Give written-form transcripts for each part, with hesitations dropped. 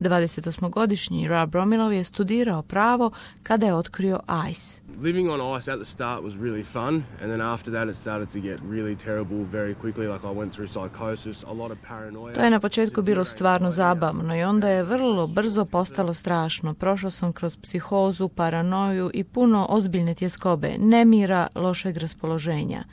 28-godišnji Rob Romilov je studirao pravo kada je otkrio ice. Living on ice at the start was really fun, and then after that it started to get really terrible very quickly. Like I went through psychosis, a lot of paranoia. To je na početku bilo stvarno zabavno i onda je vrlo brzo postalo strašno. Prošao sam kroz psihozu, paranoju i puno ozbiljne tjeskobe, nemira, lošeg raspoloženja.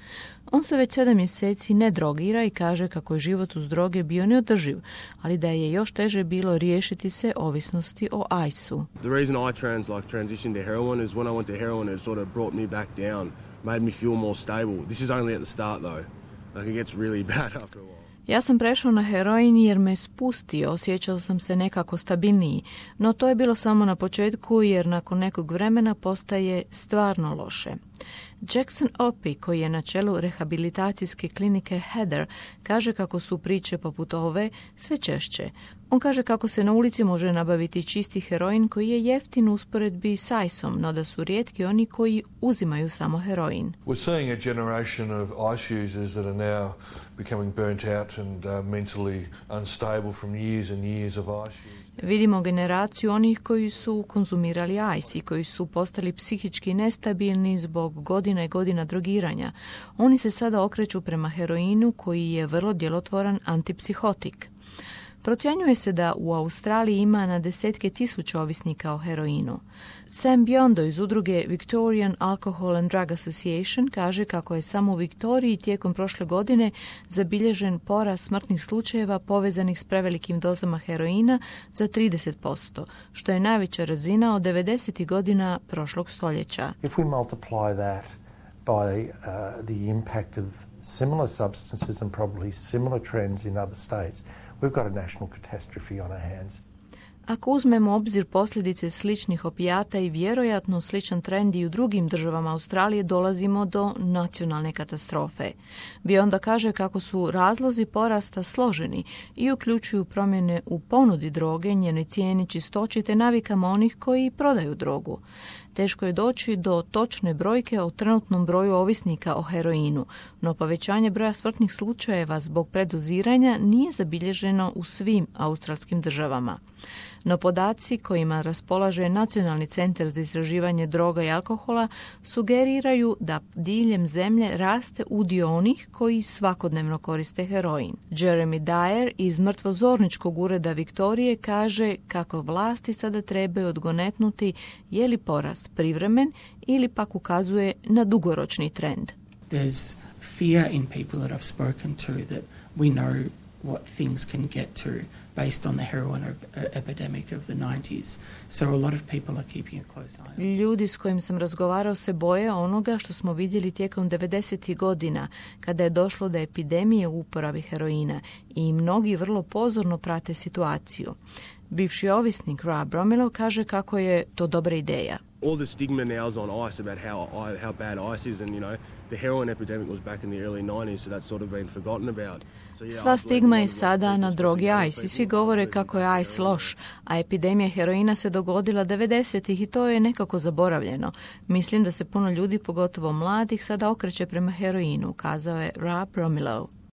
On se već 7 mjeseci ne drogira i kaže kako je život uz droge bio neodrživ, ali da je još teže bilo riješiti se ovisnosti o ice-u. The reason I transitioned to heroin is when I went to heroin it sort of brought me back down, made me feel more stable. This is only at the start though. Like it gets really bad after a while. Ja sam prešao na heroin jer me spustio, osjećao sam se nekako stabilniji, no to je bilo samo na početku jer nakon nekog vremena postaje stvarno loše. Jackson Opie, koji je na čelu rehabilitacijske klinike Heather, kaže kako su priče poput ove sve češće. On kaže kako se na ulici može nabaviti čisti heroin koji je jeftin u usporedbi s ice-om, no da su rijetki oni koji uzimaju samo heroin. We're seeing a generation of ice users that are now becoming burnt out and mentally unstable from years and years of ice use. Vidimo generaciju onih koji su konzumirali ice i koji su postali psihički nestabilni zbog godina i godina drogiranja. Oni se sada okreću prema heroinu koji je vrlo djelotvoran antipsihotik. Procjenjuje se da u Australiji ima na desetke tisuća ovisnika o heroinu. Sam Biondo iz udruge Victorian Alcohol and Drug Association kaže kako je samo u Viktoriji tijekom prošle godine zabilježen porast smrtnih slučajeva povezanih s prevelikim dozama heroina za 30%, što je najveća razina od 90. godina prošlog stoljeća. If we multiply that by the impact of similar substances and probably similar trends in other states, we've got a national catastrophe on our hands. Ako uzmemo u obzir posljedice sličnih opijata i vjerojatno sličan trend i u drugim državama Australije, dolazimo do nacionalne katastrofe. Bionda kaže kako su razlozi porasta složeni i uključuju promjene u ponudi droge, njenoj cijeni, čistoći te navikama onih koji prodaju drogu. Teško je doći do točne brojke o trenutnom broju ovisnika o heroinu, no povećanje broja smrtnih slučajeva zbog predoziranja nije zabilježeno u svim australskim državama. No podaci kojima raspolaže Nacionalni centar za istraživanje droga i alkohola sugeriraju da diljem zemlje raste udio onih koji svakodnevno koriste heroin. Jeremy Dyer iz mrtvozorničkog ureda Viktorije kaže kako vlasti sada trebaju odgonetnuti je li porast privremen ili pak ukazuje na dugoročni trend. There's fear in people that I've spoken to that we know what things can get to based on the heroin epidemic of the 90s. So a lot of people are keeping a close eye on this. Ljudi s kojim sam razgovarao se boje onoga što smo vidjeli tijekom 90. godina, kada je došlo do epidemije u uporabi heroina i mnogi vrlo pozorno prate situaciju. Bivši ovisnik Rob Romilov kaže kako je to dobra ideja. All the stigma now is on ice about how bad ice is, and you know the heroin epidemic was back in the early 90s, so that's sort of been forgotten about. Sva stigma je sada na drogi ice i svi govore kako je ice loš, a epidemija heroina se dogodila 90-ih i to je nekako zaboravljeno. Mislim da se puno ljudi, pogotovo mladih, sada okreće prema heroinu, kazao je Rob Romilov.